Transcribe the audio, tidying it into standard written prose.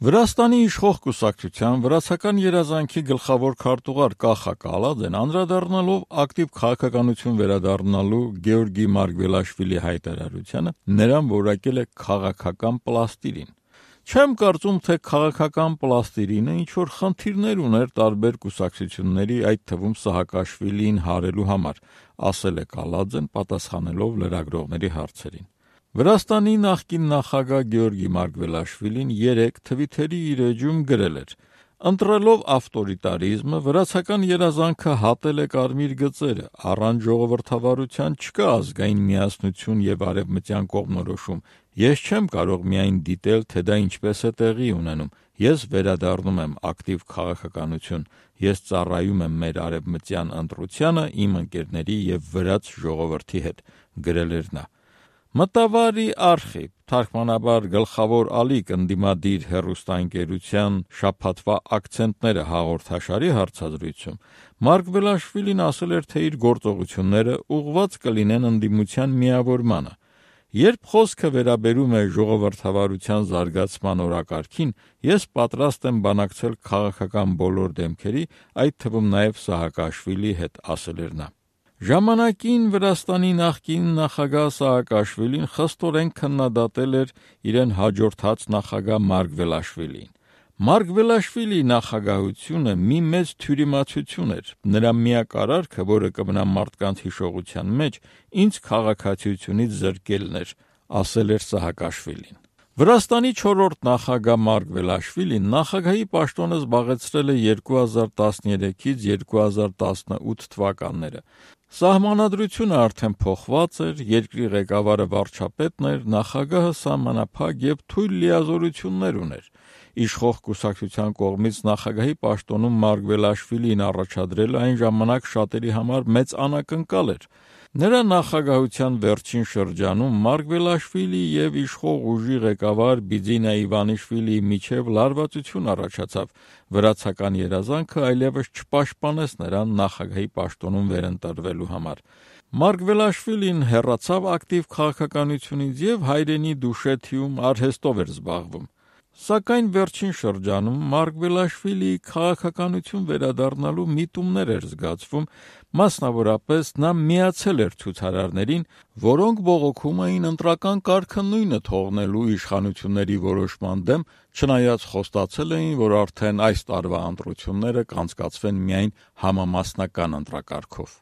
Վրաստանի իշխող կուսակցության վրացական երազանքի գլխավոր քարտուղար Կախա Կալաձեն անդրադառնալով ակտիվ քաղաքականություն վերադառնալու Գեորգի Մարգվելաշվիլի հայտարարությանը նրան որակել է քաղաքական պլաստիրին։ Չեմ կարծում, թե քաղաքական պլաստիրինը ինչ-որ խնդիրներ ուներ տարբեր կուսակցությունների, այդ թվում Սահակաշվիլիին հարելու համար, ասել է Կալաձեն պատասխանելով լրագրողների հարցերին։ Վրաստանի նախկին նախագահ Գեորգի Մարգվելաշվիլին երեկ Թվիթերի իր էջում գրել էր. «Ընտրելով ավտորիտարիզմը, վրացական երազանքը հատել է կարմիր գծերը, առանց ժողովրդավարության չկա ազգային միասնություն եւ արևմտյան կողմնորոշում։ Ես չեմ կարող միայն դիտել, թե դա ինչպես է տեղի ունենում։ Ես վերադառնում եմ ակտիվ քաղաքականություն։ Ես ծառայում եմ մեր արևմտյան ընտրությանը իմ ընկերների եւ վրաց ժողովրդի հետ», գրել էր նա։ Մտավարի արխիվ, թարգմանաբար գլխավոր ալիք ընդդիմադիր հեռուստաընկերության շաբաթվա ակցենտները հաղորդաշարի հարցազրույցում Մարգվելաշվիլին ասել էր, թե իր գործողությունները ուղղված կլինեն ընդդիմության միավորմանը։ Երբ խոսքը վերաբերում է ժողովրդավարության զարգացման օրակարգին, ես պատրաստ եմ բանակցել քաղաքական բոլոր դեմքերի, այդ թվում նաև Սահակաշվիլիի հետ, ասել էր նա։ Ժամանակին Վրաստանի նախկին նախագահ Սահակաշվիլին խստորեն քննադատել էր իրեն հաջորդած նախագահ Մարգվելաշվիլիին։ Մարգվելաշվիլիի նախագահությունը մի մեծ թյուրիմացություն էր, նրա միակ արարքը, որը կմնա մարդկանց հիշողության մեջ, ինձ քաղաքացիությունից զրկելն էր, ասել էր Սահակաշվիլին։ Վրաստանի 4-րդ նախագահ Մարգվելաշվիլին նախագահի պաշտոնը զբաղեցրել է 2013-ից 2018 թվականները։ Սահմանադրությունը արդեն փոխված էր, երկրի ղեկավարը վարչապետն էր, նախագահը սահմանափակ եւ թույլ լիազորություններ ուներ։ Իշխող կուսակցության կողմից նախագահի պաշտոնում Մարգվելաշվիլիին առաջադրելը այն ժամանակ շատերի համար մեծ անակնկալ էր։ Նրա նախագահության վերջին շրջանում Մարգվելաշվիլիի եւ իշխող ուժի ղեկավար Բիձինա Իվանիշվիլիի միջև լարվածություն առաջացավ։ Վրացական երազանքը այլևս չպաշտպանեց նրան նախագահի պաշտոնում վերընտրվելու համար։ Մարգվելաշվիլին հեռացավ ակտիվ քաղաքականությունից եւ հայրենի Դուշեթիում արհեստով էր զբաղվում։ Սակայն վերջին շրջանում Մարգվելաշվիլիի քաղաքականություն վերադառնալու միտումներ էր զգացվում, մասնավորապես նա միացել էր ցուցարարներին, որոնք բողոքում էին ընտրական կարգը նույնը թողնելու իշխանությունների որոշման դեմ, չնայած խոստացել էին, որ արդեն այս տարվա ընտրությունները կանցկացվեն միայն համամասնական ընտրակարգով։